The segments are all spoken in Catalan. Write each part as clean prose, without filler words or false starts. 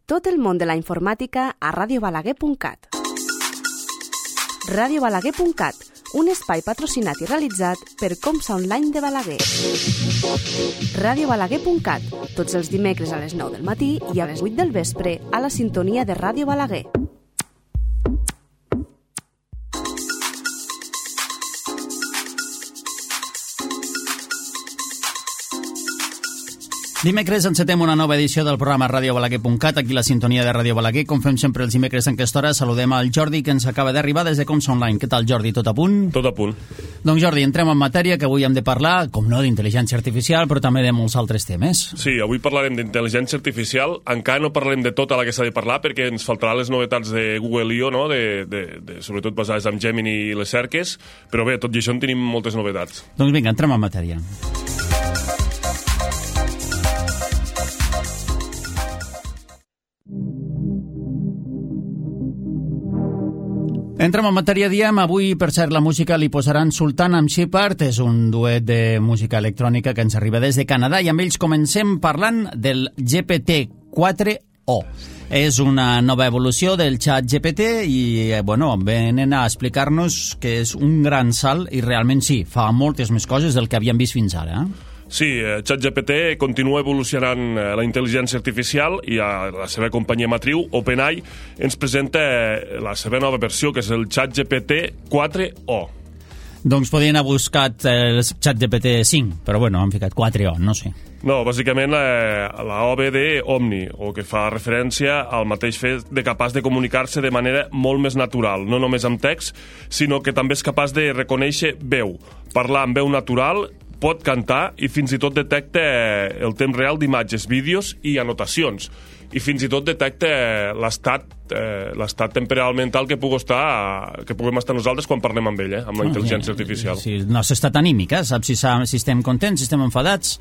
Tot el món de la informàtica a radiobalaguer.cat. Radiobalaguer.cat, un espai patrocinat i realitzat per Comsa Online de Balaguer. Radiobalaguer.cat, tots els dimecres a les 9 del matí i a les 8 del vespre a la sintonia de Ràdio Balaguer. Dimecres encetem una nova edició del programa radiobalaguer.cat, aquí la sintonia de Ràdio Balaguer. Com fem sempre els dimecres en aquesta hora, saludem al Jordi, que ens acaba d'arribar des de Comsa Online. Què tal, Jordi? Tot a punt? Tot a punt. Doncs, Jordi, entrem en matèria, que avui hem de parlar, com no, d'intel·ligència artificial, però també de molts altres temes. Sí, avui parlarem d'intel·ligència artificial. Encara no parlarem de tota la que s'ha de parlar, perquè ens faltaran les novetats de Google I.O., no? Sobretot basades en Gemini i les cerques, però bé, tot i això en tenim moltes novetats. Doncs vinga, entrem en matèria. Entrem en matèria, diem, avui, per cert, la música li posaran Sultan amb Shepard, és un duet de música electrònica que ens arriba des de Canadà, i amb ells comencem parlant del GPT-4o. És una nova evolució del xat GPT i, bueno, venen a explicar-nos que és un gran salt i realment sí, fa moltes més coses del que havíem vist fins ara, Sí, ChatGPT continua evolucionant la intel·ligència artificial i la seva companyia matriu, OpenAI, ens presenta la seva nova versió, que és el ChatGPT 4o. Doncs podien haver buscat el ChatGPT 5, però bueno, han ficat 4o, no sé. No, bàsicament la OBD Omni, o que fa referència al mateix fet de capaç de comunicar-se de manera molt més natural, no només amb text, sinó que també és capaç de reconèixer veu, parlar amb veu natural, pot cantar i fins i tot detecta el temps real d'imatges, vídeos i anotacions. I fins i tot detecta l'estat temporal mental que puguem estar nosaltres quan parlem amb ell, amb la intel·ligència artificial. Sí, no s'estat anímica, saps si estem contents, si estem enfadats.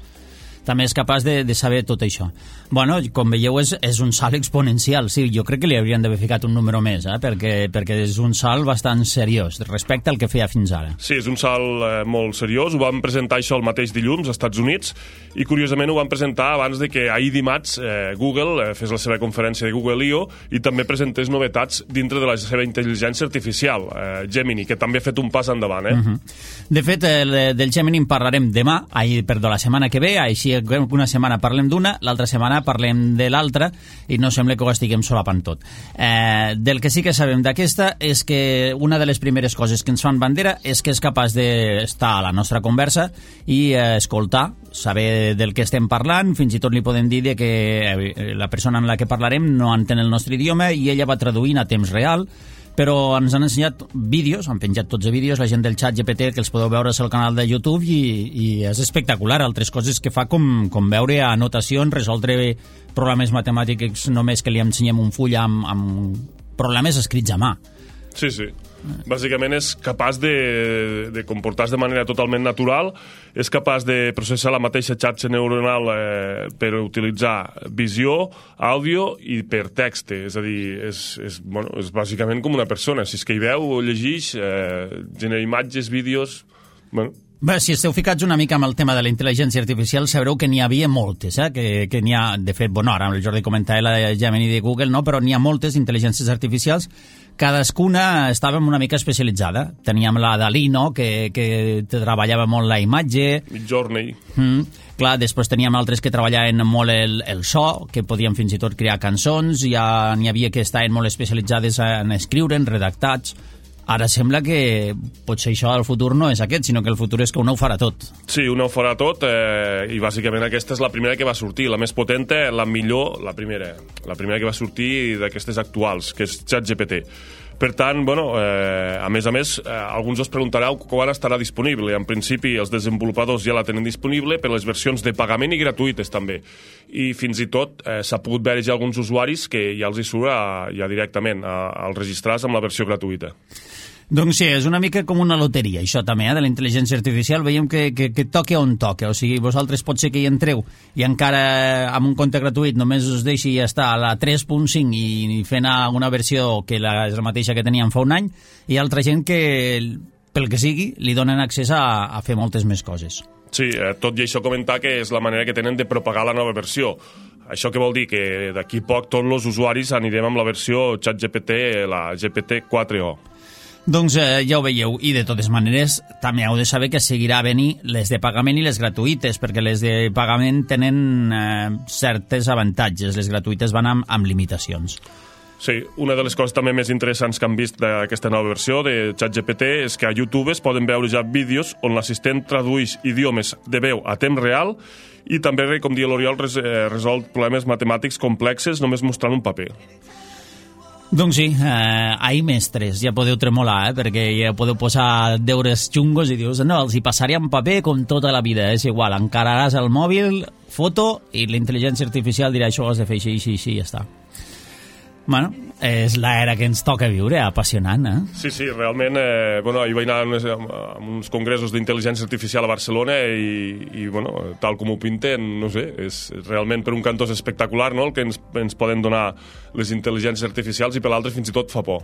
També és capaç de saber tot això. Bueno, com veieu, és un salt exponencial. Sí, jo crec que li haurien d'haver ficat un número més, perquè és un salt bastant seriós respecte al que feia fins ara. Sí, és un salt molt seriós. Ho vam presentar això el mateix dilluns als Estats Units i, curiosament, ho vam presentar abans de que ahir dimarts Google fes la seva conferència de Google I.O. i també presentés novetats dintre de la seva intel·ligència artificial, Gemini, que també ha fet un pas endavant. De fet, del Gemini en parlarem demà, la setmana que ve, així una setmana parlem d'una, l'altra setmana parlem de l'altra i no sembla que ho estiguem solapant tot. Del que sí que sabem d'aquesta és que una de les primeres coses que ens fan bandera és que és capaç d'estar a la nostra conversa i escoltar, saber del que estem parlant, fins i tot li podem dir que la persona amb la que parlarem no entén el nostre idioma i ella va traduint a temps real, però ens han ensenyat vídeos, han penjat tots els vídeos, la gent del xat GPT, que els podeu veure al canal de YouTube, i és espectacular. Altres coses que fa com veure anotacions, resoldre problemes matemàtics només que li ensenyem un full amb problemes escrits a mà. Sí, sí. Bàsicament és capaç de comportar-se de manera totalment natural, és capaç de processar la mateixa xarxa neuronal per utilitzar visió, àudio i per text. És a dir, és bàsicament com una persona. Si és que hi veu, llegeix, genera imatges, vídeos... Bé, si esteu ficats una mica amb el tema de la intel·ligència artificial, sabreu que n'hi havia moltes, que n'hi ha, de fet, ara el Jordi comentava la Gemini de Google, no? Però n'hi ha moltes intel·ligències artificials, cadascuna estava una mica especialitzada. Teníem la Dalí, no?, que treballava molt la imatge. Midjourney. Clar, després teníem altres que treballaven molt el so, que podien fins i tot crear cançons, ja n'hi havia que estaven molt especialitzades en escriure, en redactats. Ara sembla que potser això del futur no és aquest, sinó que el futur és que una ho farà tot. Sí, una ho farà tot, i bàsicament aquesta és la primera que va sortir, la més potenta, la millor, la primera que va sortir d'aquestes actuals, que és ChatGPT. Per tant, a més, alguns us preguntareu quan estarà disponible. En principi, els desenvolupadors ja la tenen disponible per les versions de pagament i gratuïtes, també. I fins i tot s'ha pogut veure ja alguns usuaris que ja els hi surt ja directament al registrar-se amb la versió gratuïta. Doncs sí, és una mica com una loteria, això també, de la intel·ligència artificial. Veiem que toca on toca. O sigui, vosaltres pot ser que hi entreu i encara amb un compte gratuït només us deixi estar a la 3.5 i fent una versió que és la mateixa que teníem fa un any, i altra gent que, pel que sigui, li donen accés a fer moltes més coses. Sí, tot i això comentar que és la manera que tenen de propagar la nova versió. Això què vol dir? Que d'aquí poc tots els usuaris anirem amb la versió ChatGPT, la GPT-4o. Doncs ja ho veieu, i de totes maneres també heu de saber que seguirà a venir les de pagament i les gratuïtes, perquè les de pagament tenen certes avantatges, les gratuïtes van amb limitacions. Sí, una de les coses també més interessants que han vist d'aquesta nova versió de ChatGPT és que a YouTube es poden veure ja vídeos on l'assistent tradueix idiomes de veu a temps real i també, com diu l'Oriol, resol problemes matemàtics complexes només mostrant un paper. Doncs sí, ahir mestres, ja podeu tremolar, perquè ja podeu posar deures xungos i dius, no, els hi passaré en paper com tota la vida, és igual, encararàs el mòbil, foto, i la intel·ligència artificial dirà això ho has de fer així, i ja està. Bueno, és l'era que ens toca viure, apassionant, Sí, realment, ahir vaig anar a uns congressos d'intel·ligència artificial a Barcelona i tal com ho pinten, no sé, és realment per un cantó és espectacular, no?, el que ens poden donar les intel·ligències artificials i per l'altre fins i tot fa por.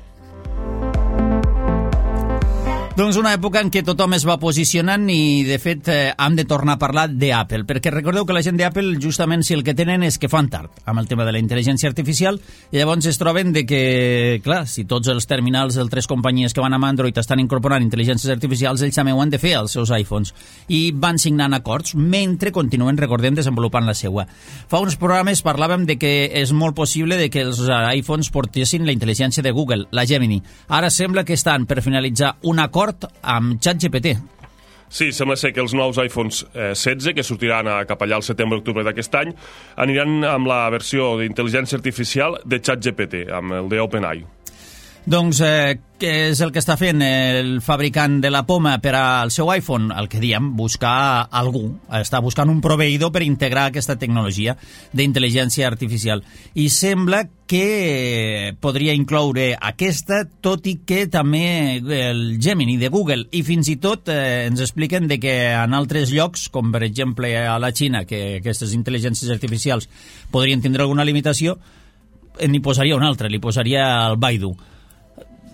Doncs una època en què tothom es va posicionant i, de fet, hem de tornar a parlar d'Apple, perquè recordeu que la gent d'Apple, justament, si el que tenen és que fan tard amb el tema de la intel·ligència artificial, i llavors es troben de que, clar, si tots els terminals d'altres companyies que van amb Android estan incorporant intel·ligències artificials, ells també ho han de fer als seus iPhones, i van signant acords mentre continuen, recordem, desenvolupant la seua. Fa uns programes parlàvem de que és molt possible de que els iPhones portessin la intel·ligència de Google, la Gemini. Ara sembla que estan per finalitzar un acord amb ChatGPT. Sí, sembla ser que els nous iPhones 16, que sortiran cap allà al setembre-octubre d'aquest any, aniran amb la versió d'intel·ligència artificial de ChatGPT, amb el d'OpenAI. Doncs què és el que està fent el fabricant de la poma per al seu iPhone? El que diem, buscar algú. Està buscant un proveïdor per integrar aquesta tecnologia d'intel·ligència artificial. I sembla que podria incloure aquesta, tot i que també el Gemini de Google. I fins i tot ens expliquen de que en altres llocs, com per exemple a la Xina, que aquestes intel·ligències artificials podrien tindre alguna limitació, n'hi posaria una altra, li posaria el Baidu.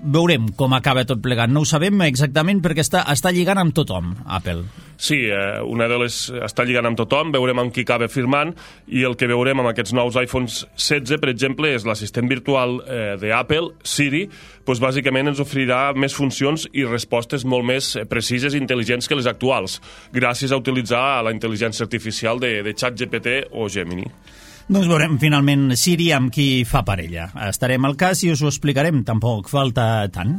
Veurem com acaba tot plegat. No ho sabem exactament perquè està lligant amb tothom, Apple. Sí, està lligant amb tothom, veurem amb qui acaba firmant, i el que veurem amb aquests nous iPhones 16, per exemple, és l'assistent virtual d'Apple, Siri, doncs bàsicament ens oferirà més funcions i respostes molt més precises i intel·ligents que les actuals, gràcies a utilitzar la intel·ligència artificial de ChatGPT o Gemini. Doncs veurem finalment Siri amb qui fa parella. Estarem al cas i us ho explicarem, tampoc falta tant.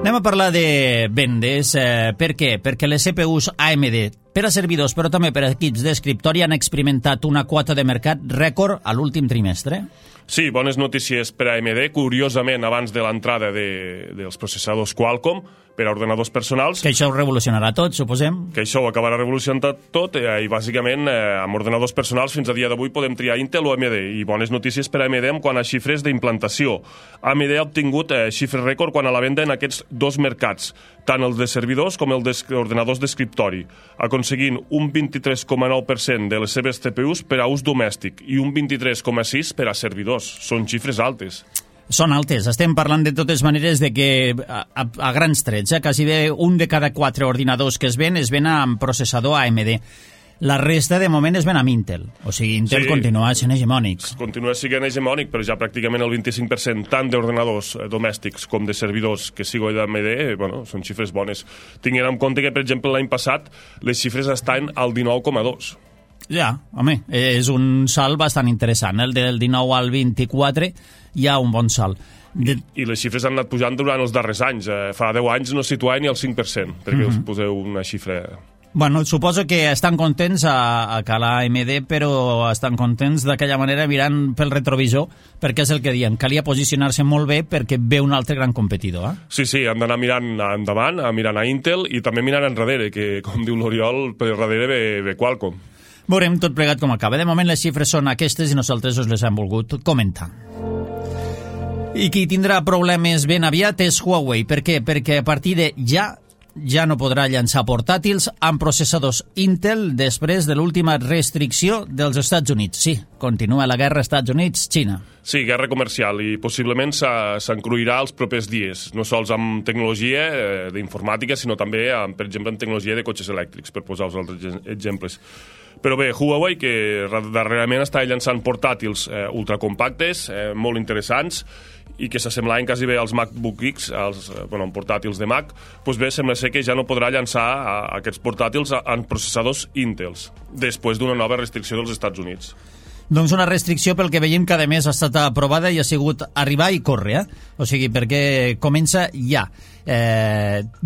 Anem a parlar de vendes. Per què? Perquè les CPUs AMD per a servidors, però també per a equips d'escriptori han experimentat una quota de mercat rècord a l'últim trimestre. Sí, bones notícies per a AMD. Curiosament, abans de l'entrada dels processadors Qualcomm per a ordenadors personals... Que això ho revolucionarà tot, suposem. Que això ho acabarà revolucionant tot i bàsicament amb ordenadors personals fins a dia d'avui podem triar Intel o AMD, i bones notícies per a AMD en quant a xifres d'implantació. AMD ha obtingut xifres rècord quan a la venda en aquests dos mercats, tant els de servidors com els d'ordenadors d'escriptori, aconseguint un 23,9% de les seves CPUs per a ús domèstic i un 23,6% per a servidors. Són xifres altes. Són altes. Estem parlant de totes maneres de que a grans trets, quasi bé un de cada 4 ordinadors que es ven amb processador AMD. La resta, de moment, es ven amb Intel. O sigui, Intel continua sent hegemònic. Continua sent hegemònic, però ja pràcticament el 25% tant d'ordenadors domèstics com de servidors que sigo d'AMD, són xifres bones. Tinguent en compte que, per exemple, l'any passat les xifres estan al 19,2%. Ja, home, és un salt bastant interessant. El del 19 al 24 hi ha un bon salt. I les xifres han anat pujant durant els darrers anys. Fa 10 anys no situaven ni el 5%, perquè us poseu una xifra... Bueno, suposo que estan contents a Cala AMD, però estan contents d'aquella manera mirant pel retrovisor, perquè és el que diem, calia posicionar-se molt bé perquè ve un altre gran competidor. Sí, han d'anar mirant endavant, mirant a Intel i també mirant enrere, que, com diu l'Oriol, per darrere ve Qualcomm. Veurem tot plegat com acaba. De moment les xifres són aquestes i nosaltres us les hem volgut comentar. I qui tindrà problemes ben aviat és Huawei. Per què? Perquè a partir de ja no podrà llançar portàtils amb processadors Intel després de l'última restricció dels Estats Units. Sí, continua la guerra Estats Units-Xina. Sí, guerra comercial, i possiblement s'encruirà els propers dies, no sols amb tecnologia d'informàtica, sinó també, per exemple, en tecnologia de cotxes elèctrics, per posar-vos altres exemples. Però bé, Huawei, que darrerament està llançant portàtils ultracompactes, molt interessants, i que s'assemblaven quasi bé als MacBook X, als portàtils de Mac, doncs bé, sembla ser que ja no podrà llançar aquests portàtils en processadors Intels, després d'una nova restricció dels Estats Units. Doncs una restricció pel que veiem que a més ha estat aprovada i ha sigut arribar i córrer, o sigui, perquè comença ja.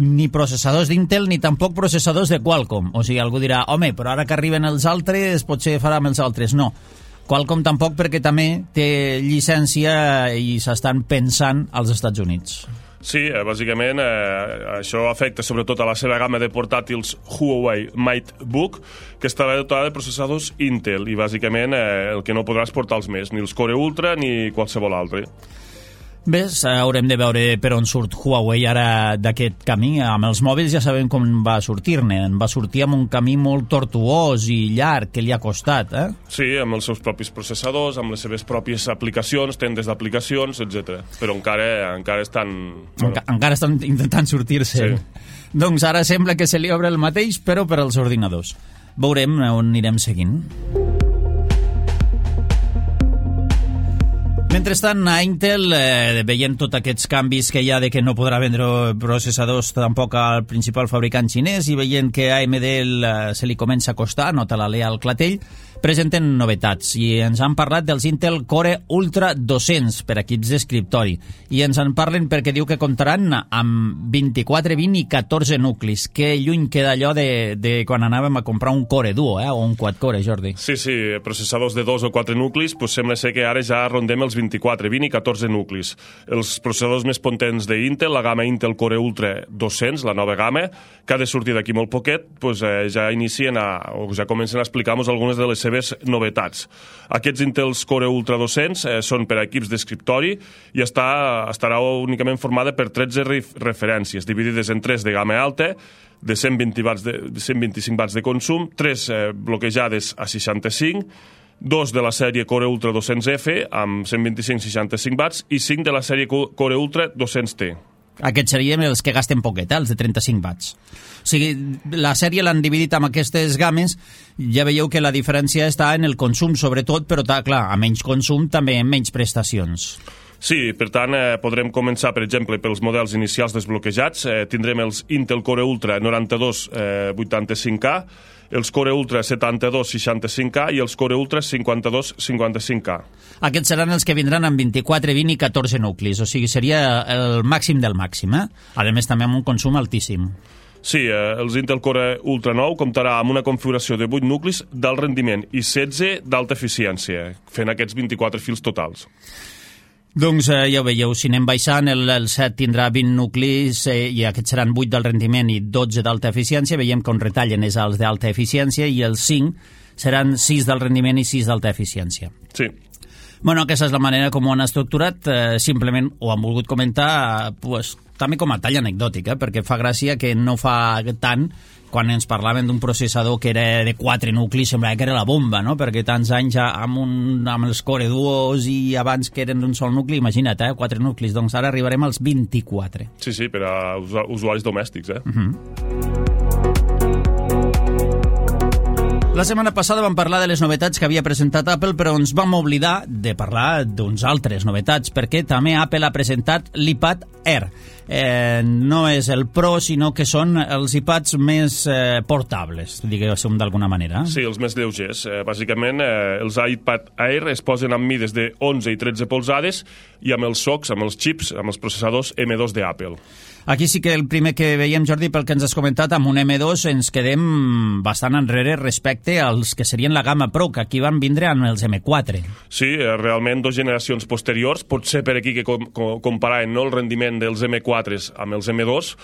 Ni processadors d'Intel ni tampoc processadors de Qualcomm, o sigui, algú dirà, home, però ara que arriben els altres potser farà amb els altres. No, Qualcomm tampoc, perquè també té llicència i s'estan pensant als Estats Units. Sí, bàsicament això afecta sobretot a la seva gamma de portàtils Huawei MateBook, que estarà dotada de processadors Intel, i bàsicament el que no podràs portar els més, ni els Core Ultra ni qualsevol altre. Bé, haurem de veure per on surt Huawei ara d'aquest camí. Amb els mòbils ja sabem com va sortir-ne. Va sortir amb un camí molt tortuós i llarg, que li ha costat, Sí, amb els seus propis processadors, amb les seves pròpies aplicacions, tendes d'aplicacions, etc. Però encara estan... Encara estan intentant sortir-se. Sí. Doncs ara sembla que se li obre el mateix, però per als ordinadors. Veurem on anirem seguint. Mentrestant, a Intel, veient tots aquests canvis que hi ha de que no podrà vendre processadors tampoc al principal fabricant xinès i veient que a AMD se li comença a costar, nota la Lea al clatell, presenten novetats i ens han parlat dels Intel Core Ultra 200 per equips d'escriptori i ens en parlen perquè diu que comptaran amb 24, 20 i 14 nuclis. Que lluny queda allò de quan anàvem a comprar un Core Duo, o un quad-core, Jordi. Sí, processadors de 2 o 4 nuclis, doncs sembla ser que ara ja rondem els 24, 20 i 14 nuclis. Els processadors més potents d'Intel, la gamma Intel Core Ultra 200, la nova gamma, que ha de sortir d'aquí molt poquet, doncs ja inicien o ja comencen a explicar-nos algunes de les seves novetats. Aquests Intels Core Ultra 200 són per a equips d'escriptori i estarà únicament formada per 13 referències, dividides en 3 de gamma alta, de 125 watts de consum, 3 bloquejades a 65, 2 de la sèrie Core Ultra 200F amb 125-65 watts i 5 de la sèrie Core Ultra 200T. Aquests serien els que gasten poquet, els de 35 watts. O sigui, la sèrie l'han dividit amb aquestes games, ja veieu que la diferència està en el consum, sobretot, però clar, a menys consum també en menys prestacions. Sí, per tant, podrem començar, per exemple, pels models inicials desbloquejats. Tindrem els Intel Core Ultra 92 85K, els Core Ultra 72 65K i els Core Ultra 52 55K. Aquests seran els que vindran amb 24, 20 i 14 nuclis, o sigui, seria el màxim del màxim, A més, també amb un consum altíssim. Sí, els Intel Core Ultra 9 comptarà amb una configuració de 8 nuclis d'alt rendiment i 16 d'alta eficiència, fent aquests 24 fils totals. Doncs ja ho veieu, si anem baixant, el 7 tindrà 20 nuclis i aquests seran 8 del rendiment i 12 d'alta eficiència. Veiem que on retallen és els d'alta eficiència i els 5 seran 6 del rendiment i 6 d'alta eficiència. Sí. Bueno, aquesta és la manera com ho han estructurat, simplement ho han volgut comentar també com a tall anecdòtic, perquè fa gràcia que no fa tant quan ens parlaven d'un processador que era de 4 nuclis, semblava que era la bomba, no? Perquè tants anys amb els Core Duos i abans que eren d'un sol nucli, imagina't, 4 nuclis, doncs ara arribarem als 24. Sí, per a usuaris domèstics, La setmana passada vam parlar de les novetats que havia presentat Apple, però ens vam oblidar de parlar d'uns altres novetats, perquè també Apple ha presentat l'iPad Air. No és el Pro, sinó que són els iPads més portables, diguéssim d'alguna manera. Sí, els més lleugers. Bàsicament, els iPad Air es posen amb mides de 11 i 13 polzades i amb els SoCs, amb els xips, amb els processadors M2 d'Apple. Aquí sí que el primer que veiem, Jordi, pel que ens has comentat, amb un M2 ens quedem bastant enrere respecte als que serien la gamma Pro, que aquí van vindre amb els M4. Sí, realment 2 generacions posteriors, potser per aquí que comparaven el rendiment dels M4 amb els M2,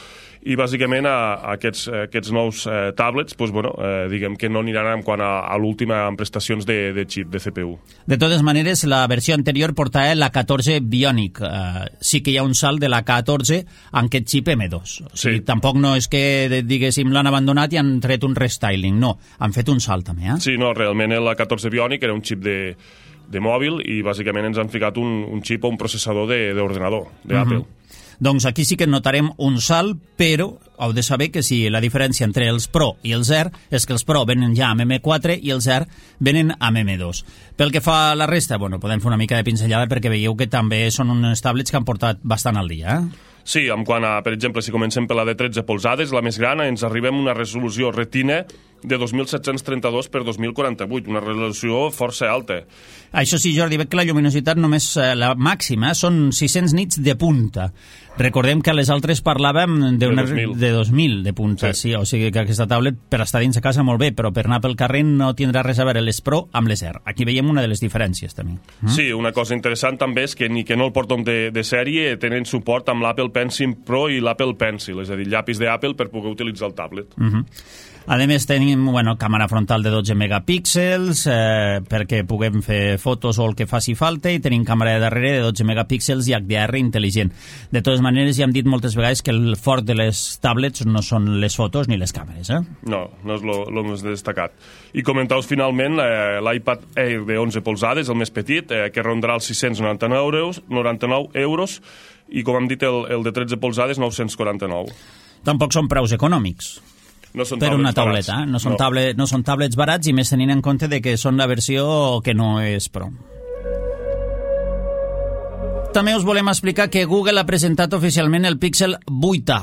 i bàsicament aquests nous tablets diguem que no aniran en quant a l'última en prestacions de xip, de CPU. De totes maneres, la versió anterior portava la 14 Bionic. Sí que hi ha un salt de la 14 amb aquest xip M2. O sigui, tampoc no és que, diguéssim, l'han abandonat i han tret un restyling. No, han fet un salt també. Sí, no, realment la 14 Bionic era un xip de mòbil i bàsicament ens han ficat un xip o un processador d'ordenador d'Apple. Doncs aquí sí que notarem un salt, però heu de saber que si la diferència entre els Pro i els Air és que els Pro venen ja amb M4 i els Air venen amb M2. Pel que fa a la resta, bueno, podem fer una mica de pinzellada perquè veieu que també són uns tablets que han portat bastant al dia, Sí, en quant a, per exemple, si comencem per la de 13 polzades, la més gran, ens arribem a una resolució Retina de 2.732 per 2.048, una resolució força alta. Això sí, Jordi, veig que la lluminositat només la màxima són 600 nits de punta. Recordem que a les altres parlàvem de 2.000 de punta, sí, o sigui que aquesta tablet per estar dins a casa molt bé, però per anar pel carrer no tindrà res a veure les Pro amb les Air. Aquí veiem una de les diferències, també. Sí, una cosa interessant també és que ni que no el porten de sèrie tenen suport amb l'Apple Pencil Pro i l'Apple Pencil, és a dir, llapis d'Apple per poder utilitzar el tablet. A més, tenim càmera frontal de 12 megapíxels perquè puguem fer fotos o el que faci falta, i tenim càmera de darrere de 12 megapíxels i HDR intel·ligent. De totes maneres, ja hem dit moltes vegades que el fort de les tablets no són les fotos ni les càmeres. No és el més destacat. I comentaus finalment l'iPad Air de 11 polzades, el més petit, que rondarà els 699 euros, i com hem dit, el de 13 polzades, 949. Tampoc són preus econòmics. No són per una tauleta, barats. No són tablets barats, i més tenint en compte de que són la versió que no és Pro. També us volem explicar que Google ha presentat oficialment el Pixel 8a.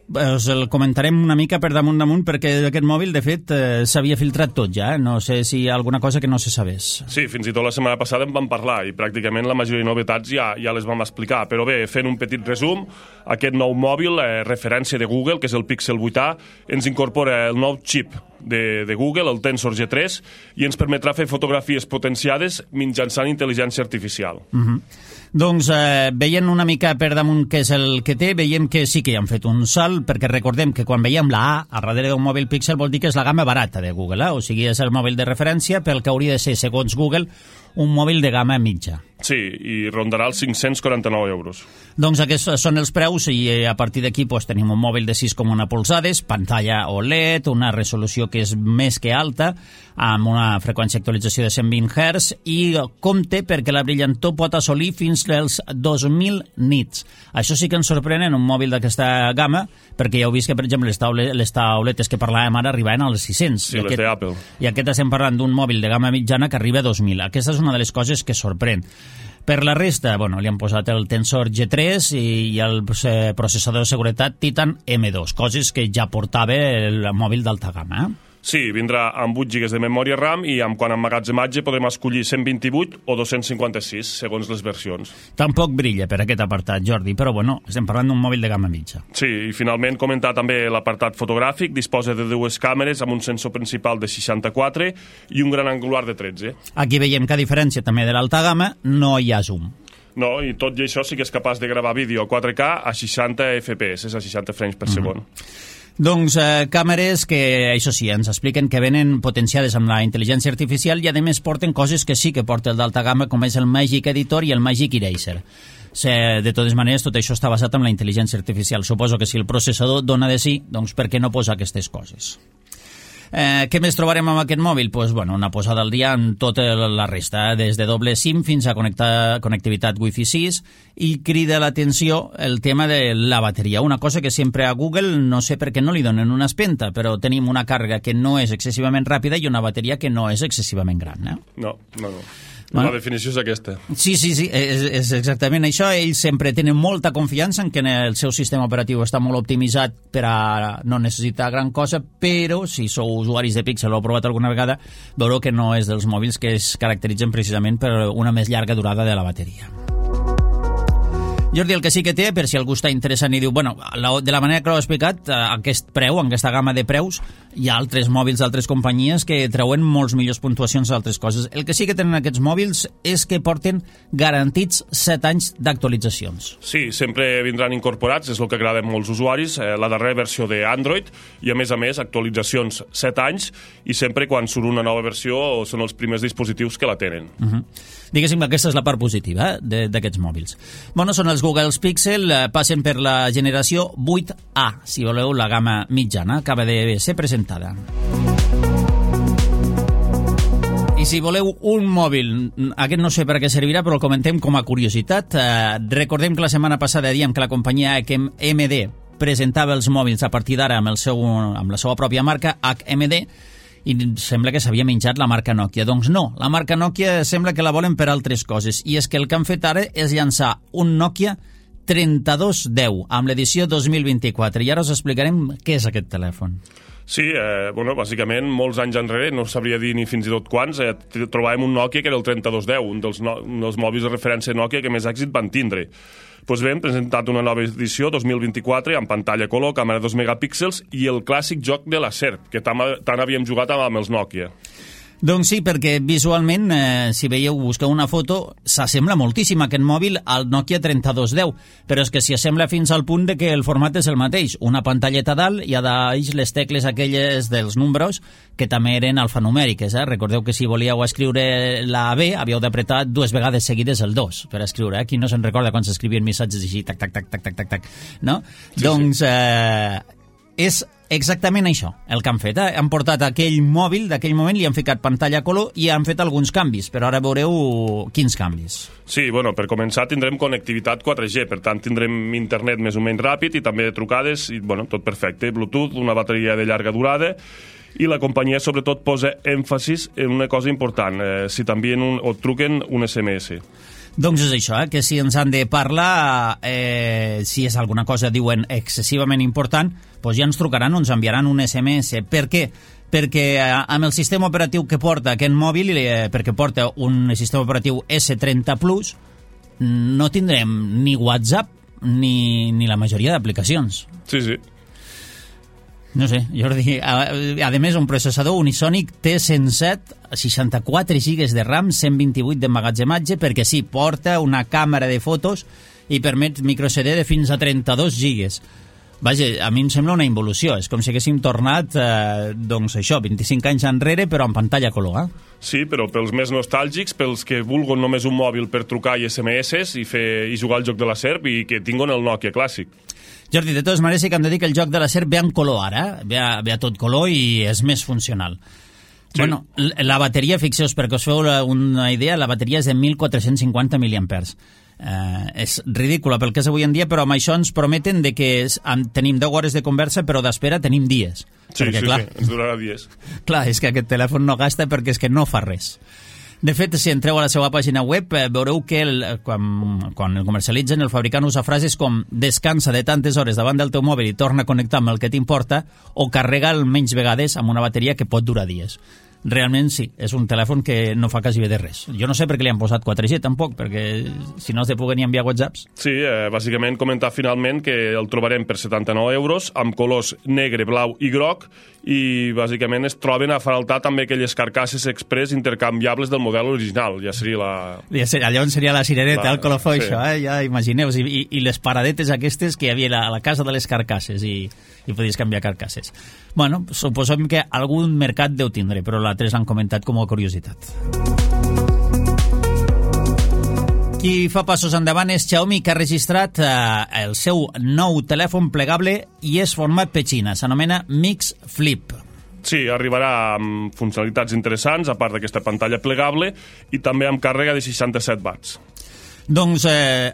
Us el comentarem una mica per damunt perquè aquest mòbil, de fet, s'havia filtrat tot ja. No sé si hi ha alguna cosa que no se sabés. Sí, fins i tot la setmana passada en vam parlar i pràcticament la majoria de novetats ja les vam explicar. Però bé, fent un petit resum, aquest nou mòbil, referència de Google, que és el Pixel 8a, ens incorpora el nou xip de Google, el Tensor G3, i ens permetrà fer fotografies potenciades mitjançant intel·ligència artificial. Doncs veient una mica per damunt què és el que té, veiem que sí que hi han fet un salt, perquè recordem que quan veiem la A a darrere d'un mòbil Pixel vol dir que és la gamma barata de Google, o sigui, és el mòbil de referència pel que hauria de ser, segons Google, un mòbil de gamma mitja. Sí, i rondarà els 549 euros. Doncs aquests són els preus, i a partir d'aquí tenim un mòbil de 6,1 polzades, pantalla OLED, una resolució que és més que alta, amb una freqüència d'actualització de 120 Hz, i compte perquè la brillantor pot assolir fins als 2.000 nits. Això sí que ens sorprèn en un mòbil d'aquesta gamma, perquè ja heu vist que, per exemple, les tauletes que parlàvem ara arribaven als 600. Sí, les d'Apple. I aquest estem parlant d'un mòbil de gamma mitjana que arriba a 2.000. Aquesta és una de les coses que sorprèn. Per la resta, li han posat el Tensor G3 i el processador de seguretat Titan M2, coses que ja portava el mòbil d'alta gamma. Sí, vindrà amb 8 GB de memòria RAM i quant a emmagatzematge podrem escollir 128 o 256, segons les versions. Tampoc brilla per aquest apartat, Jordi, però estem parlant d'un mòbil de gamma mitja. Sí, i finalment comentar també l'apartat fotogràfic. Disposa de 2 càmeres amb un sensor principal de 64 i un gran angular de 13. Aquí veiem que, a diferència també de l'alta gamma, no hi ha zoom. No, i tot i això sí que és capaç de gravar vídeo a 4K a 60 FPS, a 60 frames per segon. Doncs càmeres que, això sí, ens expliquen que venen potenciades amb la intel·ligència artificial i, a més, porten coses que sí que porta el d'alta gamma, com és el Magic Editor i el Magic Eraser. De totes maneres, tot això està basat en la intel·ligència artificial. Suposo que si el processador dona de sí, doncs per què no posa aquestes coses? Què més trobarem amb aquest mòbil? Una posada al dia en tota la resta, des de doble SIM fins a connectivitat Wi-Fi 6, i crida l'atenció el tema de la bateria. Una cosa que sempre a Google no sé per què no li donen una espenta, però tenim una càrrega que no és excessivament ràpida i una bateria que no és excessivament gran. No. La definició és aquesta. Sí, és exactament això. Ells sempre tenen molta confiança en que el seu sistema operatiu està molt optimitzat per a no necessitar gran cosa, però si sou usuaris de Pixel o heu provat alguna vegada, veureu que no és dels mòbils que es caracteritzen precisament per una més llarga durada de la bateria. Jordi, el que sí que té, per si algú està interessant i diu, de la manera que l'ho he explicat, aquest preu, aquesta gamma de preus, hi ha altres mòbils d'altres companyies que treuen molts millors puntuacions d'altres coses. El que sí que tenen aquests mòbils és que porten garantits 7 anys d'actualitzacions. Sí, sempre vindran incorporats, és el que agrada a molts usuaris, la darrera versió d'Android, i a més, actualitzacions 7 anys, i sempre quan surt una nova versió són els primers dispositius que la tenen. Diguéssim que aquesta és la part positiva d'aquests mòbils. Són els Google Pixel, passen per la generació 8A, si voleu, la gamma mitjana, acaba de ser presentada. I si voleu un mòbil, aquest no sé per què servirà, però el comentem com a curiositat. Recordem que la setmana passada dèiem que la companyia HMD presentava els mòbils a partir d'ara amb la seva pròpia marca, HMD, i sembla que s'havia menjat la marca Nokia. Doncs no, la marca Nokia sembla que la volen per altres coses, i és que el que han fet ara és llançar un Nokia 3210 amb l'edició 2024, i ara us explicarem què és aquest telèfon. Sí, bàsicament, molts anys enrere, no sabria dir ni fins i tot quants, trobàvem un Nokia que era el 3210, un dels mòbils de referència Nokia que més èxit van tindre. Doncs bé, hem presentat una nova edició, 2024, amb pantalla color, càmera 2 megapíxels i el clàssic joc de la serp, que tant havíem jugat amb els Nokia. Doncs sí, perquè visualment, si veieu, busqueu una foto, s'assembla moltíssim aquest mòbil al Nokia 3210, però és que s'hi assembla fins al punt de que el format és el mateix, una pantalleta dalt i a dalt les tecles aquelles dels números que també eren alfanumèriques. Recordeu que si volíeu escriure la B havíeu d'apretar 2 vegades seguides el 2 per escriure. Qui no se'n recorda quan s'escrivien missatges així, tac, tac, tac, tac, tac, tac, tac, no? Sí, doncs és exactament això, el que han fet. Han portat aquell mòbil d'aquell moment, li han ficat pantalla color i han fet alguns canvis, però ara veureu quins canvis. Sí, per començar tindrem connectivitat 4G, per tant tindrem internet més o menys ràpid i també trucades, i tot perfecte, Bluetooth, una bateria de llarga durada, i la companyia sobretot posa èmfasis en una cosa important, si t'envien o truquen un SMS. Doncs és això, que si ens han de parlar, si és alguna cosa, diuen, excessivament important, doncs ja ens trucaran o ens enviaran un SMS. Per què? Perquè amb el sistema operatiu que porta aquest mòbil, perquè porta un sistema operatiu S30 Plus, no tindrem ni WhatsApp ni la majoria d'aplicacions. Sí, sí. No sé, Jordi, a més un processador Unisonic T107, 64 GB de RAM, 128 d'emmagatzematge, perquè sí, porta una càmera de fotos i permet microCD de fins a 32 GB. Vaja, a mi em sembla una involució, és com si haguéssim tornat, doncs això, 25 anys enrere, però amb pantalla color, Sí, però pels més nostàlgics, pels que vulguen només un mòbil per trucar i SMS i jugar al joc de la serp i que tinguin el Nokia clàssic. Jordi, de totes maneres sí que hem de dir que el joc de la serp ve en color ara, ve a tot color i és més funcional. Sí. Bueno, la bateria, fixeu-vos, perquè us feu una idea, la bateria és de 1.450 mAh. És ridícula pel que és avui en dia, però amb això ens prometen de que tenim 10 hores de conversa, però d'espera tenim dies. Sí, perquè, clar, ens durarà dies. Clar, és que aquest telèfon no gasta perquè és que no fa res. De fet, si entreu a la seva pàgina web, veureu que quan el comercialitzen, el fabricant usa frases com descansa de tantes hores davant del teu mòbil i torna a connectar amb el que t'importa, o carrega menys vegades amb una bateria que pot durar dies. Realment sí, és un telèfon que no fa quasi bé de res. Jo no sé per què li han posat 4G tampoc, perquè si no es de poder ni enviar whatsapps. Sí, bàsicament comentar finalment que el trobarem per 79 €, amb colors negre, blau i groc, i bàsicament es troben a faltar també aquelles carcasses express intercanviables del model original. Ja seria la... Llavors seria la cirereta, el colofó, sí. Això, ja imagineu, i les paradetes aquestes que hi havia a la casa de les carcasses, i podies canviar carcasses. Bueno, suposem que algun mercat deu tindre, però l'altres l'han comentat com a curiositat. Qui fa passos endavant és Xiaomi, que ha registrat el seu nou telèfon plegable i és format petxina. S'anomena Mix Flip. Sí, arribarà amb funcionalitats interessants, a part d'aquesta pantalla plegable, i també amb càrrega de 67 watts. Doncs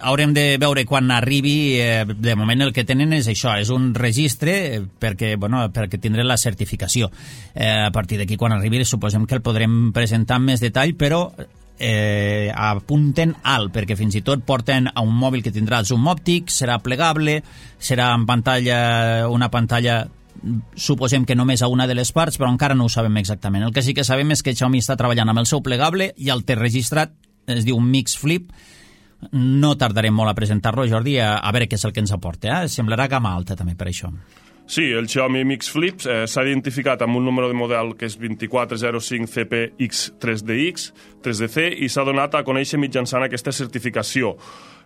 haurem de veure quan arribi. De moment el que tenen és això, és un registre perquè tindré la certificació. A partir d'aquí, quan arribi, suposem que el podrem presentar amb més detall, però apunten alt, perquè fins i tot porten a un mòbil que tindrà zoom òptic, serà plegable, serà en una pantalla, suposem que només a una de les parts, però encara no ho sabem exactament. El que sí que sabem és que Xiaomi està treballant amb el seu plegable i el té registrat, es diu Mix Flip. No tardarem molt a presentar-lo, Jordi, a veure què és el que ens aporta. Semblarà gamma alta també per això. Sí, el Xiaomi Mix Flip s'ha identificat amb un número de model que és 2405CPX3DC i s'ha donat a conèixer mitjançant aquesta certificació.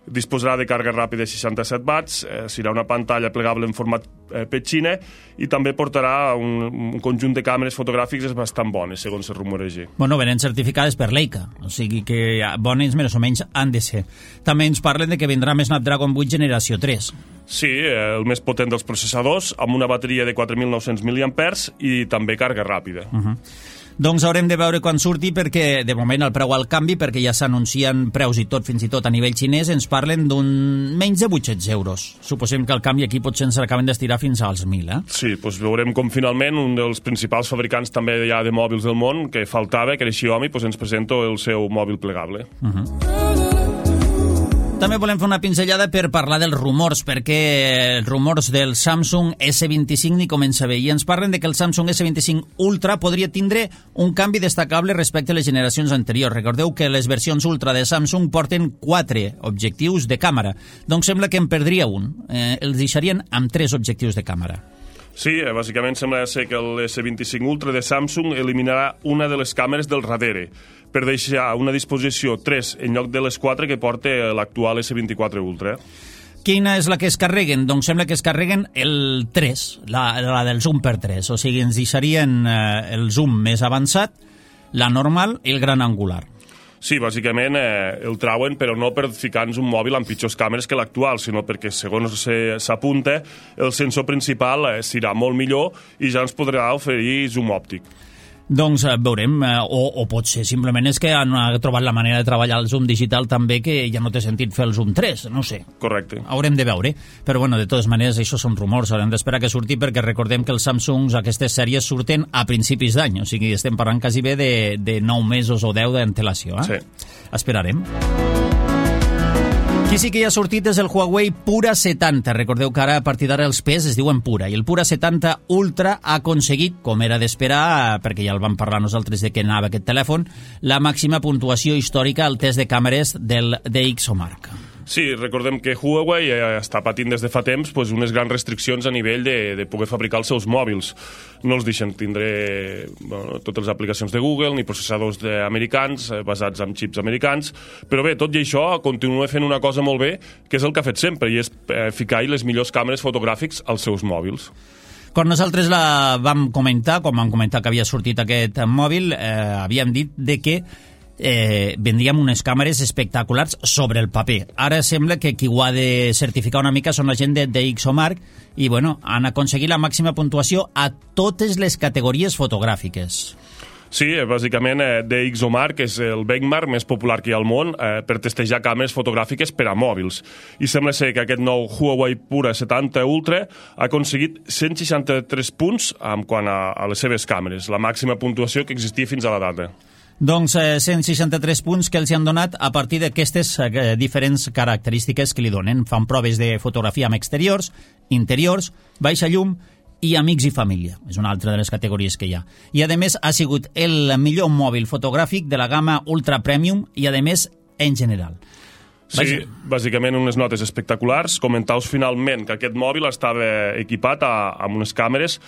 Disposarà de càrrega ràpida de 67 watts, serà una pantalla plegable en format petxina i també portarà un conjunt de càmeres fotogràfiques bastant bones, segons es rumoreja. Bueno, venen certificades per Leica, o sigui que bones més o menys han de ser. També ens parlen de que vindrà més Snapdragon 8 generació 3. Sí, el més potent dels processadors, amb una bateria de 4.900 mAh i també càrrega ràpida. Doncs haurem de veure quan surti, perquè de moment el preu al canvi, perquè ja s'anuncien preus i tot, fins i tot a nivell xinès, ens parlen d'un menys de 800 euros. Suposem que el canvi aquí potser ens acaben d'estirar fins als 1.000, Sí, doncs veurem com finalment un dels principals fabricants també ja de mòbils del món, que faltava, que era Xiaomi, doncs ens presenta el seu mòbil plegable. També volem fer una pinzellada per parlar dels rumors, perquè els rumors del Samsung S25 ni comença bé, i ens parlen de que el Samsung S25 Ultra podria tindre un canvi destacable respecte a les generacions anteriors. Recordeu que les versions Ultra de Samsung porten 4 objectius de càmera, doncs sembla que en perdria un. Els deixarien amb 3 objectius de càmera. Sí, bàsicament sembla ser que el S25 Ultra de Samsung eliminarà una de les càmeres del darrere, per deixar una disposició 3 en lloc de les 4 que porta l'actual S24 Ultra. Quina és la que es carreguen? Doncs sembla que es carreguen el 3, la del zoom per 3, o sigui, ens deixarien el zoom més avançat, la normal i el gran angular. Sí, bàsicament el trauen, però no per ficar-nos un mòbil amb pitjors càmeres que l'actual, sinó perquè, segons s'apunta, el sensor principal serà molt millor i ja ens podrà oferir zoom òptic. Doncs veurem, o potser simplement és que han trobat la manera de treballar el zoom digital també, que ja no té sentit fer el zoom 3, no sé. Correcte. Haurem de veure, però bueno, de totes maneres això són rumors, haurem d'esperar que surti, perquè recordem que els Samsungs, aquestes sèries, surten a principis d'any, o sigui, estem parlant quasi bé de 9 mesos o 10 d'antelació. Sí. Esperarem. Qui sí que ja ha sortit és el Huawei Pura 70. Recordeu que ara, a partir d'ara, els Ps es diuen Pura. I el Pura 70 Ultra ha aconseguit, com era d'esperar, perquè ja el vam parlar nosaltres de què anava aquest telèfon, la màxima puntuació històrica al test de càmeres del DxOMark. Sí, recordem que Huawei està patint des de fa temps unes grans restriccions a nivell de poder fabricar els seus mòbils. No els deixen tindre totes les aplicacions de Google ni processadors americans basats en xips americans, però bé, tot i això continua fent una cosa molt bé, que és el que ha fet sempre, i és ficar-hi les millors càmeres fotogràfics als seus mòbils. Quan nosaltres la vam comentar, quan vam comentar que havia sortit aquest mòbil, havíem dit de que vendríem unes càmeres espectaculars sobre el paper. Ara sembla que qui ho ha de certificar una mica són la gent de DxOMark i bueno, han aconseguit la màxima puntuació a totes les categories fotogràfiques. Sí, bàsicament DxOMark és el benchmark més popular que hi ha al món per testejar càmeres fotogràfiques per a mòbils. I sembla ser que aquest nou Huawei Pura 70 Ultra ha aconseguit 163 punts en quant a les seves càmeres, la màxima puntuació que existia fins a la data. Doncs 163 punts que els han donat a partir d'aquestes diferents característiques que li donen. Fan proves de fotografia amb exteriors, interiors, baixa llum i amics i família. És una altra de les categories que hi ha. I a més ha sigut el millor mòbil fotogràfic de la gamma Ultra Premium i a més en general. Sí, bàsicament unes notes espectaculars. Comentaus finalment que aquest mòbil estava equipat amb unes càmeres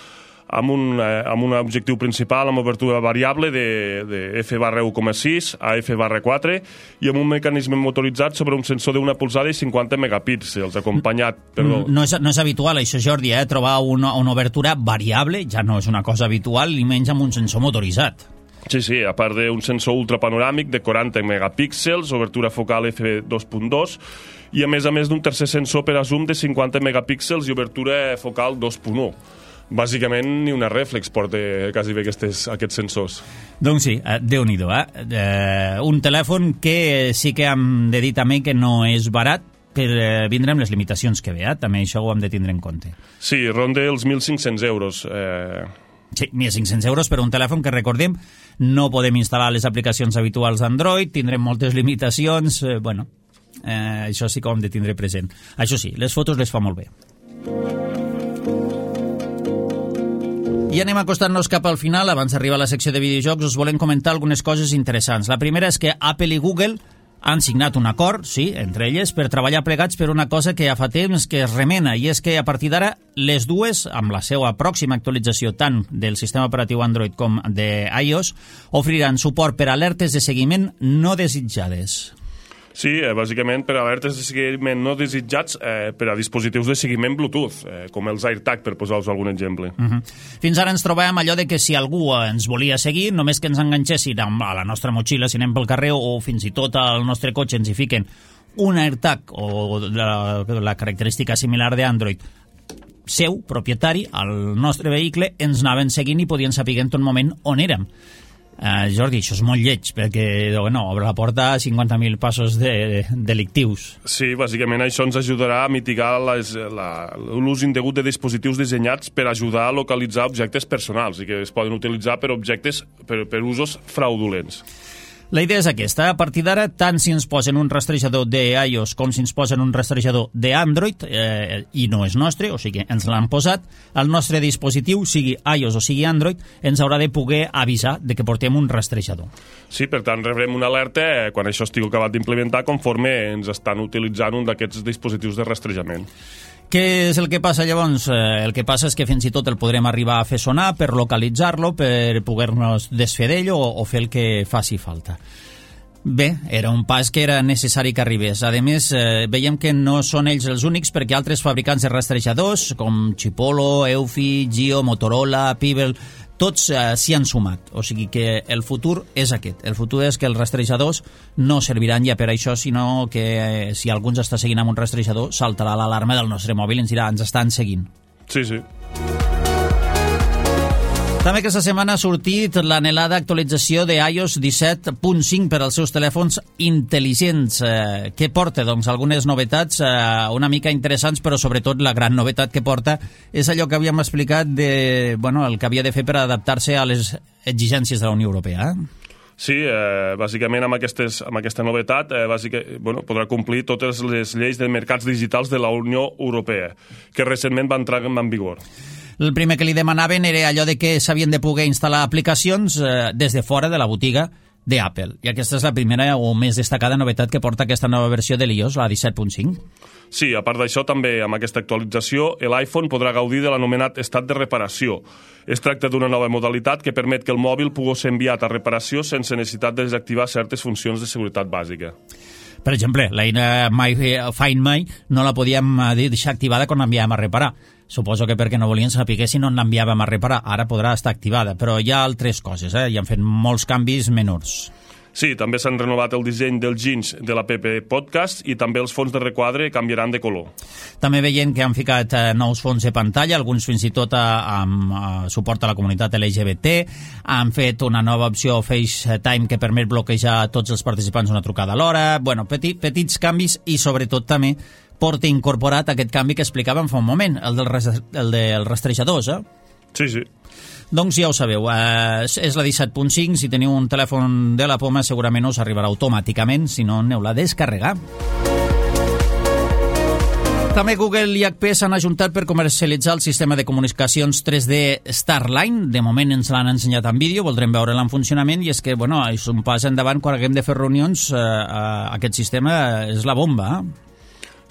amb un objectiu principal amb obertura variable de f/1,6 a f/4 i amb un mecanisme motoritzat sobre un sensor d'una polzada i 50 megapíxels, acompanyat... No és habitual això, Jordi, trobar una obertura variable, ja no és una cosa habitual, ni menys amb un sensor motoritzat. Sí, a part d'un sensor ultrapanoràmic de 40 megapíxels, obertura focal f2.2 i a més d'un tercer sensor per a zoom de 50 megapíxels i obertura focal 2.1. Bàsicament ni una reflex porta quasi bé aquests sensors. Doncs sí, Déu-n'hi-do, un telèfon que sí que hem de dir també que no és barat per vindre amb les limitacions que ve, també això ho hem de tindre en compte. Sí, ronda els 1.500 euros. Sí, 1.500 euros per un telèfon que, recordem, no podem instal·lar les aplicacions habituals d'Android, tindrem moltes limitacions, això sí que ho hem de tindre present. Això sí, les fotos les fa molt bé. I anem acostant-nos cap al final. Abans d'arribar a la secció de videojocs us volem comentar algunes coses interessants. La primera és que Apple i Google han signat un acord, sí, entre elles, per treballar plegats per una cosa que ja fa temps que es remena, i és que a partir d'ara les dues, amb la seva pròxima actualització tant del sistema operatiu Android com de iOS, oferiran suport per alertes de seguiment no desitjades. Sí, bàsicament per alertes de seguiment no desitjats per a dispositius de seguiment Bluetooth, com els AirTag, per posar-vos algun exemple. Fins ara ens trobàvem allò de que si algú ens volia seguir, només que ens enganxessin a la nostra motxilla si anem pel carrer o fins i tot al nostre cotxe ens hi fiquen un AirTag o la característica similar d'Android seu, propietari, al nostre vehicle, ens anaven seguint i podien saber en tot moment on érem. Jordi, això és molt lleig, perquè obre la porta a 50.000 passos delictius. Sí, bàsicament això ens ajudarà a mitigar l'ús indegut de dispositius dissenyats per ajudar a localitzar objectes personals i que es poden utilitzar per per usos fraudulents. La idea és aquesta. A partir d'ara, tant si ens posen un rastrejador d'iOS com si ens posen un rastrejador d'Android, i no és nostre, o sigui, ens l'han posat, el nostre dispositiu, sigui iOS o sigui Android, ens haurà de poder avisar de que portem un rastrejador. Sí, per tant, rebrem una alerta quan això estigui acabat d'implementar conforme ens estan utilitzant un d'aquests dispositius de rastrejament. Què és el que passa llavors? El que passa és que fins i tot el podrem arribar a fer sonar per localitzar-lo, per poder-nos desfer d'ell o fer el que faci falta. Bé, era un pas que era necessari que arribés. A més, veiem que no són ells els únics, perquè altres fabricants de rastrejadors, com Chipolo, Eufy, Gio, Motorola, Pebble, tots s'hi han sumat. O sigui que el futur és aquest. El futur és que els rastrejadors no serviran ja per això, sinó que si algú ens està seguint amb un rastrejador, saltarà l'alarma del nostre mòbil i ens dirà, ens estan seguint. Sí, sí. També aquesta setmana ha sortit l'anhelada actualització de iOS 17.5 per als seus telèfons intel·ligents. Què porta? Doncs algunes novetats una mica interessants, però sobretot la gran novetat que porta és allò que havíem explicat de, el que havia de fer per adaptar-se a les exigències de la Unió Europea. Sí, bàsicament amb aquesta novetat podrà complir totes les lleis de mercats digitals de la Unió Europea, que recentment van entrar en vigor. El primer que li demanaven era allò de que s'havien de poder instal·lar aplicacions des de fora de la botiga d'Apple. I aquesta és la primera o més destacada novetat que porta aquesta nova versió de l'iOS, la 17.5. Sí, a part d'això, també amb aquesta actualització, l'iPhone podrà gaudir de l'anomenat estat de reparació. Es tracta d'una nova modalitat que permet que el mòbil pugui ser enviat a reparació sense necessitat de desactivar certes funcions de seguretat bàsica. Per exemple, l'eina Find My no la podíem deixar activada quan l'enviàvem a reparar. Suposo que perquè no volien saber si no l'enviàvem a reparar. Ara podrà estar activada, però hi ha altres coses, hi han fet molts canvis menors. Sí, també s'han renovat el disseny dels ginys de l'app Podcast i també els fons de requadre canviaran de color. També veiem que han ficat nous fons de pantalla, alguns fins i tot amb suport a la comunitat LGBT, han fet una nova opció FaceTime que permet bloquejar a tots els participants una trucada alhora, petits canvis i sobretot també porta incorporat aquest canvi que explicàvem fa un moment, el dels rastrejadors, Sí, sí. Doncs ja ho sabeu, és la 17.5, si teniu un telèfon de la poma segurament us arribarà automàticament, si no aneu-la a descarregar. També Google i HP s'han ajuntat per comercialitzar el sistema de comunicacions 3D Starline. De moment ens l'han ensenyat en vídeo, voldrem veure-la en funcionament, i és que, és un pas endavant quan haguem de fer reunions, aquest sistema és la bomba,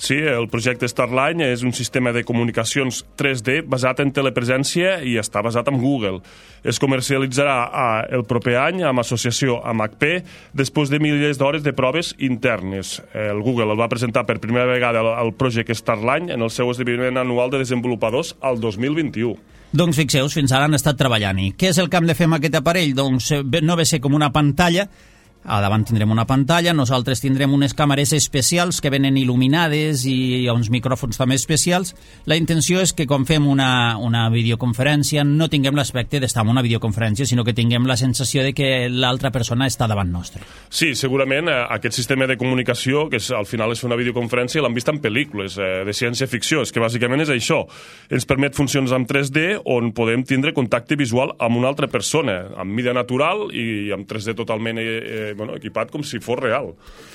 Sí, el projecte Starline és un sistema de comunicacions 3D basat en telepresència i està basat en Google. Es comercialitzarà el proper any amb associació amb HP després de milers d'hores de proves internes. El Google el va presentar per primera vegada al projecte Starline en el seu esdeveniment anual de desenvolupadors al 2021. Doncs fixeu, fins ara han estat treballant-hi. Què és el que hem de fer amb aquest aparell? Doncs no ve ser com una pantalla. A davant tindrem una pantalla, nosaltres tindrem unes càmeres especials que venen il·luminades i uns micròfons també especials. La intenció és que quan fem una videoconferència no tinguem l'aspecte d'estar en una videoconferència, sinó que tinguem la sensació de que l'altra persona està davant nostre. Sí, segurament aquest sistema de comunicació, que al final és una videoconferència, l'han vist en pel·lícules de ciència-ficció, és que bàsicament és això. Ens permet funcions en 3D on podem tindre contacte visual amb una altra persona, amb mida natural i amb 3D totalment equipat com si fos real.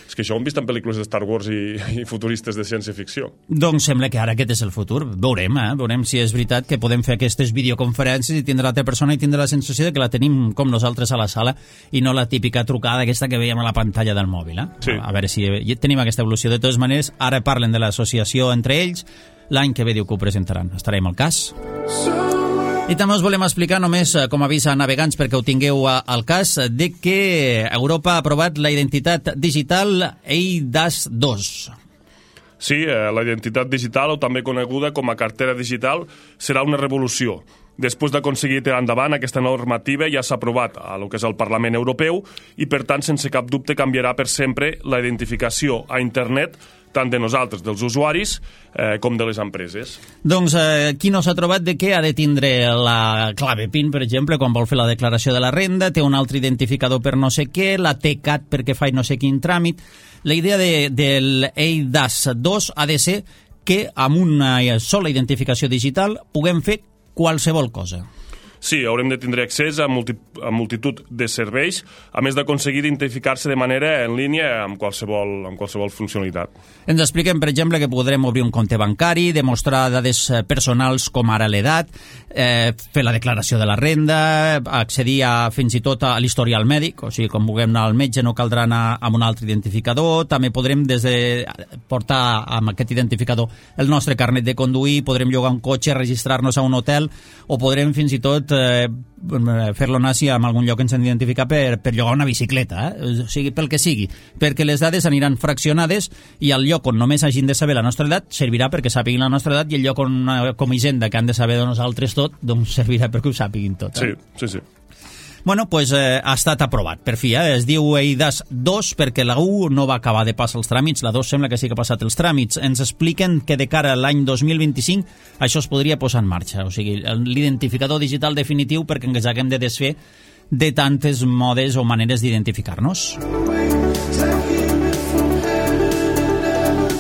És que això ho hem vist en pel·lícules de Star Wars i futuristes de ciència-ficció. Doncs sembla que ara aquest és el futur. Veurem si és veritat que podem fer aquestes videoconferències i tindrà l'altra persona i tindrà la sensació de que la tenim com nosaltres a la sala i no la típica trucada aquesta que veiem a la pantalla del mòbil. Sí. A veure si tenim aquesta evolució. De totes maneres, ara parlen de l'associació entre ells. L'any que ve diu que ho presentaran. Estarem al cas. I també us volem explicar, només com a avís a navegants perquè ho tingueu al cas, de que Europa ha aprovat la identitat digital eIDAS-2. Sí, la identitat digital, o també coneguda com a cartera digital, serà una revolució. Després d'aconseguir tirar endavant, aquesta normativa ja s'ha aprovat a lo que és el Parlament Europeu i, per tant, sense cap dubte canviarà per sempre la identificació a internet tant de nosaltres, dels usuaris, com de les empreses. Doncs qui no s'ha trobat de què ha de tindre la clave PIN, per exemple, quan vol fer la declaració de la renda, té un altre identificador per no sé què, la TCAT perquè fa no sé quin tràmit. La idea del eIDAS 2 ha de ser que amb una sola identificació digital puguem fer qualsevol cosa. Sí, haurem de tindre accés a multitud de serveis, a més d'aconseguir identificar-se de manera en línia amb qualsevol funcionalitat. Ens expliquem, per exemple, que podrem obrir un compte bancari, demostrar dades personals com ara l'edat, fer la declaració de la renda, accedir fins i tot a l'historial mèdic, o sigui, quan vulguem anar al metge no caldrà anar amb un altre identificador, també podrem portar amb aquest identificador el nostre carnet de conduir, podrem llogar un cotxe, registrar-nos a un hotel, o podrem fins i tot fer-lo nazi en algun lloc que ens han d'identificar per llogar una bicicleta, o sigui, pel que sigui, perquè les dades aniran fraccionades i el lloc on només hagin de saber la nostra edat servirà perquè sàpiguin la nostra edat i el lloc on, com a Hisenda, que han de saber de nosaltres tot, doncs servirà perquè ho sàpiguin tot. Sí. Bueno, doncs ha estat aprovat, per fi, es diu eIDAS 2 perquè la 1 no va acabar de passar els tràmits, la 2 sembla que sí que ha passat els tràmits. Ens expliquen que de cara a l'any 2025 això es podria posar en marxa, o sigui, l'identificador digital definitiu perquè ens haguem de desfer de tantes modes o maneres d'identificar-nos.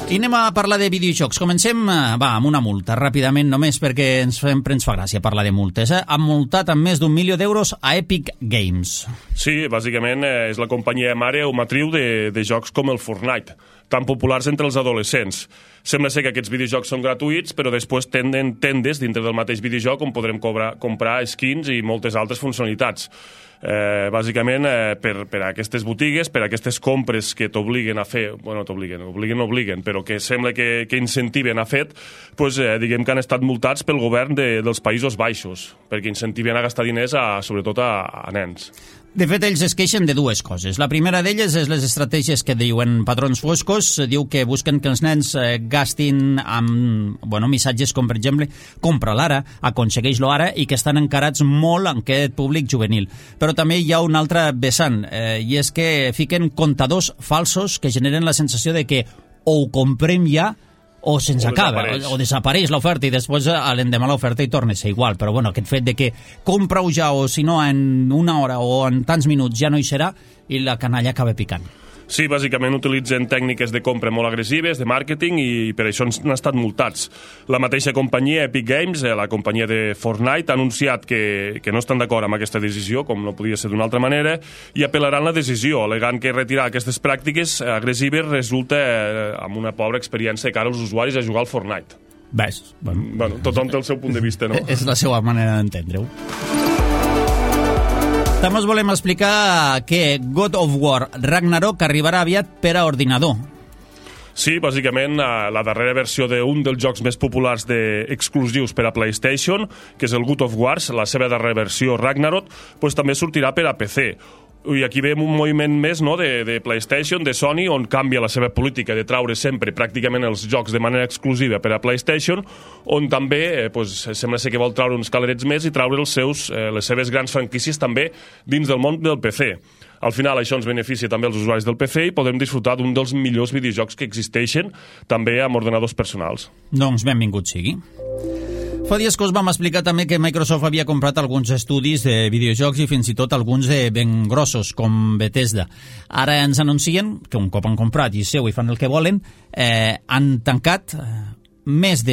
I anem a parlar de videojocs. Comencem amb una multa, ràpidament, només perquè sempre ens fa gràcia parlar de multes. Han multat amb més d'1 milió d'euros a Epic Games. Sí, bàsicament és la companyia mare o matriu de jocs com el Fortnite, tan populars entre els adolescents. Sembla ser que aquests videojocs són gratuïts, però després tenen tendes dintre del mateix videojoc on podrem comprar skins i moltes altres funcionalitats. Bàsicament per a aquestes botigues, per a aquestes compres que t'obliguen a fer, bueno, t'obliguen, però que sembla que incentiven a fet, doncs, diguem que han estat multats pel govern dels Països Baixos, perquè incentiven a gastar diners sobretot a nens. De fet, ells es queixen de dues coses. La primera d'elles és les estratègies que diuen patrons foscos. Diu que busquen que els nens gastin amb missatges com, per exemple, compra-lo ara, aconsegueix-lo ara, i que estan encarats molt en aquest públic juvenil. Però també hi ha un altre vessant, i és que fiquen comptadors falsos que generen la sensació de que o ho comprem ja o se'ns acaba, o desapareix l'oferta i després l'endemà l'oferta i torna a ser igual. Però bueno, aquest fet de que compra-ho ja o si no en una hora o en tants minuts ja no hi serà i la canalla acaba picant. Sí, bàsicament utilitzen tècniques de compra molt agressives, de màrqueting, i per això han estat multats. La mateixa companyia, Epic Games, la companyia de Fortnite, ha anunciat que no estan d'acord amb aquesta decisió, com no podia ser d'una altra manera, i apel·laran la decisió, alegant que retirar aquestes pràctiques agressives resulta amb una pobra experiència de cara als usuaris a jugar al Fortnite. Ves, bueno, tothom té el seu punt de vista, no? És la seva manera d'entendre-ho. També us volem explicar que God of War Ragnarok arribarà aviat per a ordinador. Sí, bàsicament la darrera versió d'un dels jocs més populars exclusius per a PlayStation, que és el God of War, la seva darrera versió Ragnarok, doncs també sortirà per a PC. I aquí veiem un moviment més, no, de PlayStation, de Sony, on canvia la seva política de traure sempre pràcticament els jocs de manera exclusiva per a PlayStation, on també sembla ser que vol traure uns calerets més i traure les seves grans franquícies també dins del món del PC. Al final això ens beneficia també als usuaris del PC i podem disfrutar d'un dels millors videojocs que existeixen també amb ordenadors personals. Doncs benvingut sigui. Fa dies que us vam explicar també que Microsoft havia comprat alguns estudis de videojocs i fins i tot alguns de ben grossos, com Bethesda. Ara ens anuncien que un cop han comprat i seu i fan el que volen, han tancat més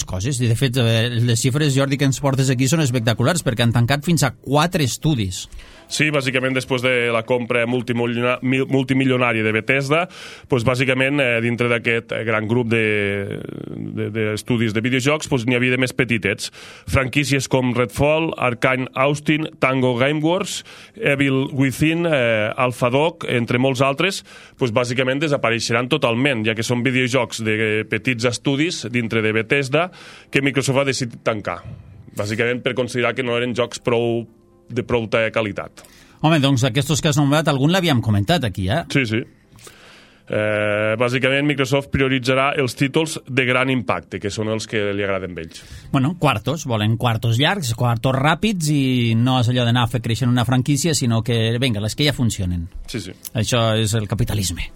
coses. I de fet, les xifres, Jordi, que ens portes aquí són espectaculars, perquè han tancat fins a 4 estudis. Sí, bàsicament després de la compra multimilionària de Bethesda, doncs bàsicament dintre d'aquest gran grup d'estudis de videojocs n'hi havia de més petitets. Franquícies com Redfall, Arkane Austin, Tango Gameworks, Evil Within, Alpha Dog, entre molts altres, doncs bàsicament desapareixeran totalment, ja que són videojocs de petits estudis dintre de Bethesda que Microsoft ha decidit tancar. Bàsicament per considerar que no eren jocs de prou qualitat. Home, doncs aquests que has nombrat, algun l'havíem comentat aquí, Sí. Bàsicament, Microsoft prioritzarà els títols de gran impacte, que són els que li agraden a ells. Bueno, quartos, volen quartos llargs, quartos ràpids, i no és allò d'anar a fer créixer una franquícia, sinó que, vinga, les que ja funcionen. Sí, sí. Això és el capitalisme.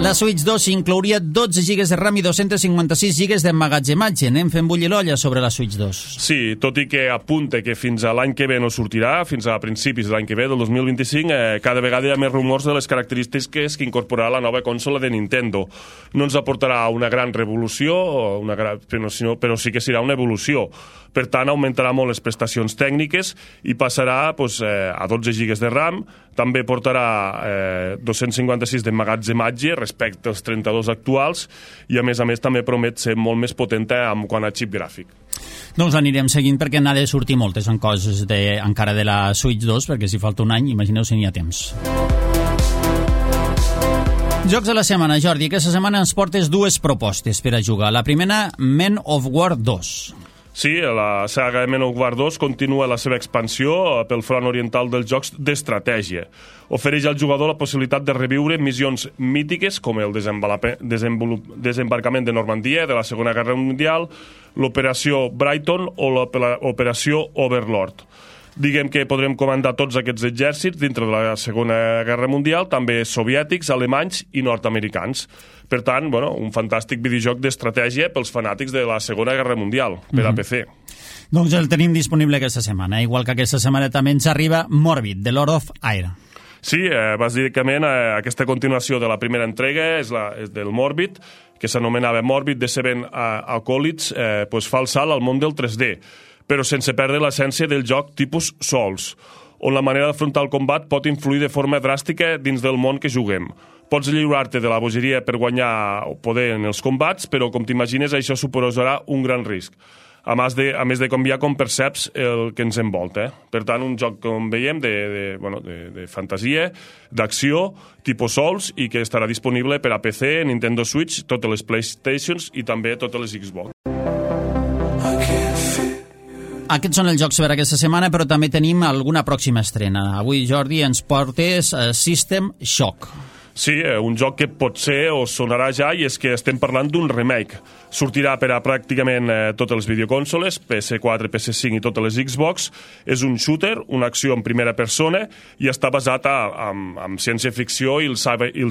La Switch 2 inclouria 12 GB de RAM i 256 GB d'emmagatzematge. Anem fent bullir l'olla sobre la Switch 2. Sí, tot i que apunta que fins a l'any que ve no sortirà, fins a principis de l'any que ve, del 2025, cada vegada hi ha més rumors de les característiques que incorporarà la nova consola de Nintendo. No ens aportarà una gran revolució, però sí que serà una evolució. Per tant, augmentarà molt les prestacions tècniques i passarà a 12 GB de RAM. També portarà 256 d'emmagatzematge respecte als 32 actuals i, a més, també promet ser molt més potent en quant a xip gràfic. Doncs anirem seguint perquè n'ha de sortir moltes en coses encara de la Switch 2, perquè si falta un any, imagineu si n'hi ha temps. Jocs de la setmana, Jordi. Aquesta setmana ens portes dues propostes per a jugar. La primera, Men of War 2. Sí, la saga Men of War 2 continua la seva expansió pel front oriental dels jocs d'estratègia. Ofereix al jugador la possibilitat de reviure missions mítiques com el desembarcament de Normandia de la Segona Guerra Mundial, l'Operació Brighton o l'Operació Overlord. Diguem que podrem comandar tots aquests exèrcits dintre de la Segona Guerra Mundial, també soviètics, alemanys i nord-americans. Per tant, un fantàstic videojoc d'estratègia pels fanàtics de la Segona Guerra Mundial, per a PC. Doncs el tenim disponible aquesta setmana, igual que aquesta setmana també ens arriba Morbid, The Lord of Air. Sí, bàsicament aquesta continuació de la primera entrega és del Morbid, que s'anomenava Morbid The Seven Acolytes, fa el salt al món del 3D, però sense perdre l'essència del joc tipus Souls, on la manera d'afrontar el combat pot influir de forma dràstica dins del món que juguem. Pots lliurar-te de la bogeria per guanyar poder en els combats, però, com t'imagines, això suposarà un gran risc. A més de canviar com perceps el que ens envolta. Per tant, un joc, com veiem, de fantasia, d'acció, tipus Souls, i que estarà disponible per a PC, Nintendo Switch, totes les PlayStations i també totes les Xbox. Aquests són els jocs per aquesta setmana, però també tenim alguna pròxima estrena. Avui, Jordi, ens portes System Shock. Sí, un joc que potser us sonarà ja, i és que estem parlant d'un remake. Sortirà per a pràcticament totes les videoconsoles, PS4, PS5 i totes les Xbox. És un shooter, una acció en primera persona, i està basat en ciència-ficció i el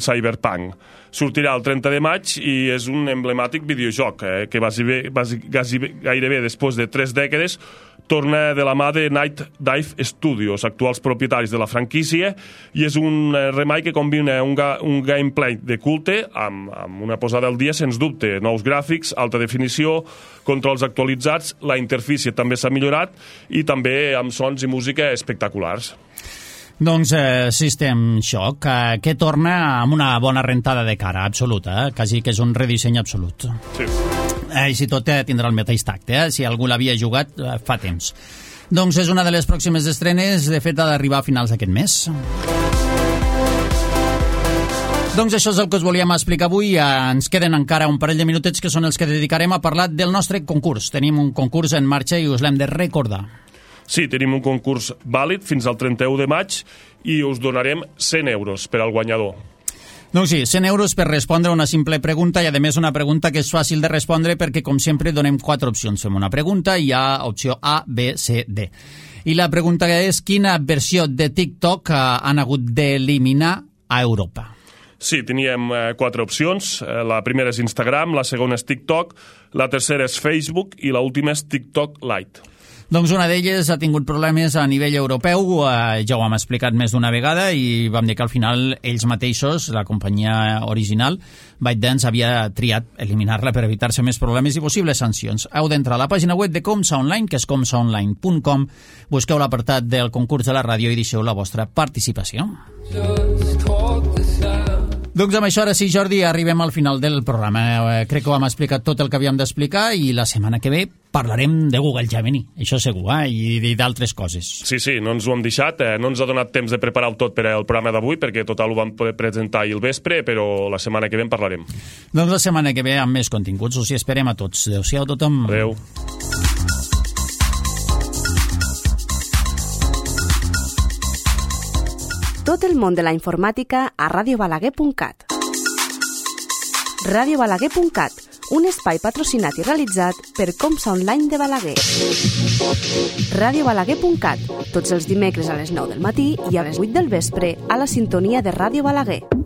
cyberpunk. Sortirà el 30 de maig i és un emblemàtic videojoc que gairebé després de 3 dècades torna de la mà de Night Dive Studios, actuals propietaris de la franquícia, i és un remake que combina un gameplay de culte amb una posada al dia, sens dubte. Nous gràfics, alta definició, controls actualitzats, la interfície també s'ha millorat i també amb sons i música espectaculars. Doncs System Shock, que torna amb una bona rentada de cara, absoluta, quasi que és un redisseny absolut. Sí. Així tot tindrà el mateix tacte, si algú l'havia jugat fa temps. Doncs és una de les pròximes estrenes, de fet ha d'arribar a finals d'aquest mes. Doncs això és el que us volíem explicar avui. Ens queden encara un parell de minutets que són els que dedicarem a parlar del nostre concurs. Tenim un concurs en marxa i us l'hem de recordar. Sí, tenim un concurs vàlid fins al 31 de maig i us donarem 100 euros per al guanyador. Doncs sí, 100 euros per respondre una simple pregunta i, a més, una pregunta que és fàcil de respondre perquè, com sempre, donem 4 opcions. Fem una pregunta i hi ha opció A, B, C, D. I la pregunta és: quina versió de TikTok han hagut d'eliminar a Europa? Sí, teníem 4 opcions. La primera és Instagram, la segona és TikTok, la tercera és Facebook i l'última és TikTok Lite. Doncs una d'elles ha tingut problemes a nivell europeu, ja ho hem explicat més d'una vegada i vam dir que al final ells mateixos, la companyia original, ByteDance, havia triat eliminar-la per evitar-se més problemes i possibles sancions. Heu d'entrar a la pàgina web de Comsa Online, que és comsaonline.com, busqueu l'apartat del concurs de la ràdio i deixeu la vostra participació. Doncs amb això, ara sí, Jordi, arribem al final del programa. Crec que ho hem explicat tot el que havíem d'explicar i la setmana que ve parlarem de Google Gemini, això segur, i d'altres coses. Sí, no ens ho hem deixat, no ens ha donat temps de preparar-ho tot per al programa d'avui, perquè total ho vam poder presentar ahir al vespre, però la setmana que ve en parlarem. Doncs la setmana que ve amb més continguts, us hi esperem a tots. Adéu-siau a tothom. Adéu. Tot el món de la informàtica a radiobalaguer.cat. radiobalaguer.cat, un espai patrocinat i realitzat per Comsa Online de Balaguer. radiobalaguer.cat, tots els dimecres a les 9 del matí i a les 8 del vespre a la sintonia de Ràdio Balaguer.